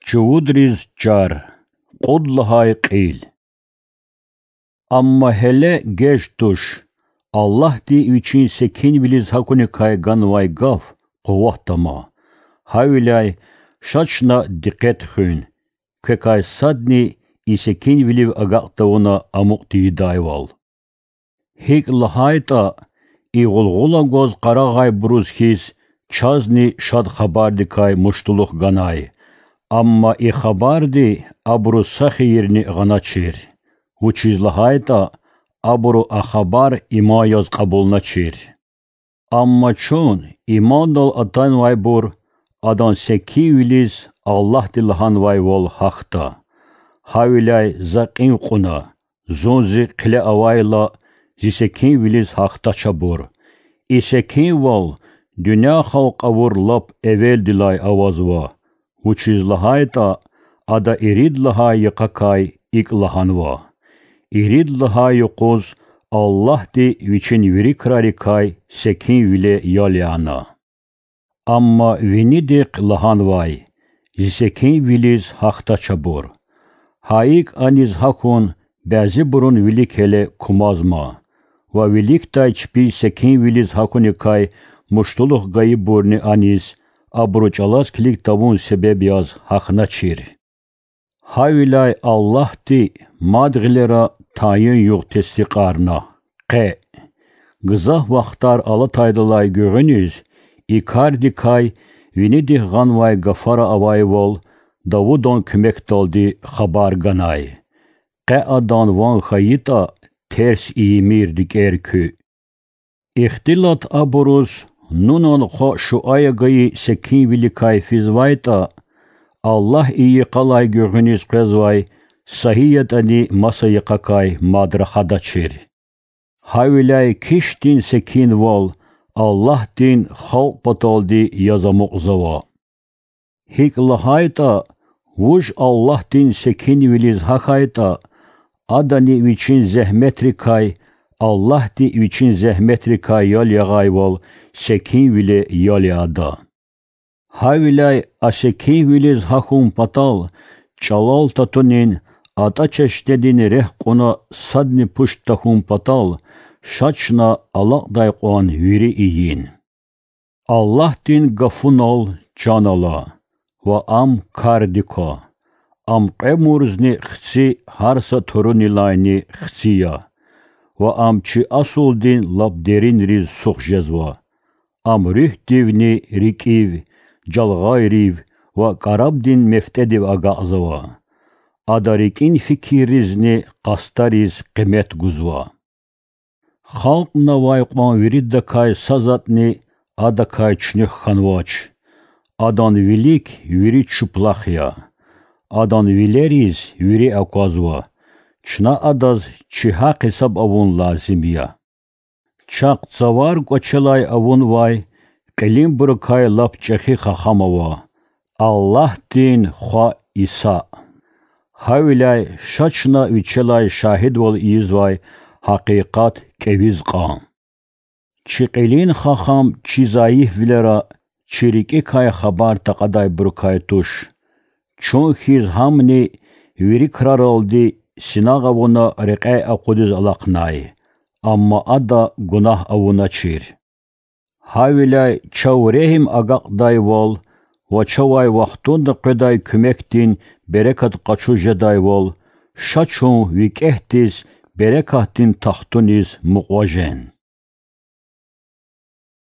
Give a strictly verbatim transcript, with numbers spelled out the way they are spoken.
Чувудриз чар. Кьуд лагьай кьил. Амма гьеле геж туш, Аллагьди Вичин секинвилиз гьакуникай ганвай гаф къуват тама. Гьавиляй ша чна дикъет хуьн, квекай садни и секинвилив агакь тавуна амукь тийидайвал. ГьикӀ лагьайтӀа, и гъулгъула гваз къарагъайбуруз хьиз, чазни Шад Хабардикай муштулух ганай. Амма и хабарди абуру са хийирни гъаначир, вучиз лагьайтӀа абуру а хабар иман яз кьабулначир. Амма чун имандал атанвайбур Адан секинвилиз Аллагьди лагьанвайвал гьахьда. Гьавиляй за кьин кьуна, зун зи хъиле авайла, зи секинвилиз гьахьдач абур. И секинвал дуьнья халкь авур лап эвелдилай авазва, вучиз лагьайтӀа Ада ирид лагьай йикъакай икӀ лагьанва: Ирид лагьай юкъуз Аллагьди Вичин вири крарикай секинвиле ял яна. Амма винидихъ лагьанвай: Зи секинвилиз гьахьдач абур. Гьа икӀ аниз гьахьун бязибурун вилик гьеле кумазма, ва виликдай чпиз секинвилиз гьахьуникай муштулух гайибурни аниз, абуру чӀалаз килиг тавун себеб яз гьахьначир. Гьавиляй Аллагьди мад гъилера тайин югъ тестикьарна: къе. Гзаф вахтар алатайдалай гуьгъуьниз и кардикай винидихъ гъанвай гафара авайвал Давудан куьмекдалди хабар ганай: Къе адан ван хьайитӀа, терс ийимир рикӀер куь. Ихтилат абуруз Нунан хва Шуая гайи секинвиликай физвайтӀа, Аллагь и йикъалай гуьгъуьниз къвезвай са гьи ятӀани маса йикъакай мад рахадачир. Гьавиляй кишдин секинвал Аллагьдин халкь паталди яз амукьзава. ГьикӀ лагьайтӀа, вуж Аллагьдин секинвилиз гьахьайтӀа, адани вичин зегьметрикай, Аллагьди вичин зегьметрикай ял ягъайвал, секинвиле ял яда. Гьавиляй а секинвилиз гьахьун патал чӀалал татунин, атӀа чешнедин рехъ кьуна садни пуш тахьун патал, ша чна алакьдай кьван вири ийин. Аллагьдин гафунал чан ала ва ам кардик ква. Ам кьве мурзни хци гьар са турунилайни хци я, ва ам чи асулдин лап деринриз сух жезва. Ам руьгьдивни рикӀив, жалгъайрив ва кӀарабдин мефтӀедив агакьзава. Ада рикӀин фикирризни къастариз къимет гузва. Халкьнавай кьван виридакай са затӀни Адакай чуьнуьх хьанвач. Адан вилик вири чуплах я. Адан вилериз вири аквазва. Чна Адаз чи гьахъ-гьисаб авун лазим я. Чахъ цавар кӀвачелай авунвай кьилинбурукай лап чӀехи хахам ава, Аллагьдин Хва Иса. Гьавиляй ша чна вичелай шагьидвал ийизвай гьакъикъат кӀевиз кьан. Чи кьилин хахам чи зайифвилера чи рикӀикай хабар такьадайбурукай туш. Чун хьиз гьамни вири краралди синагъ авуна рекьяй акъудиз алахънай, амма ада гунагь авуначир. Гьавиляй чав регьим агакьдайвал ва чавай вахтунда къведай куьмекдин берекат къачуз жедайвал, ша чун викӀегьдиз берекатдин тахтуниз мукьва жен.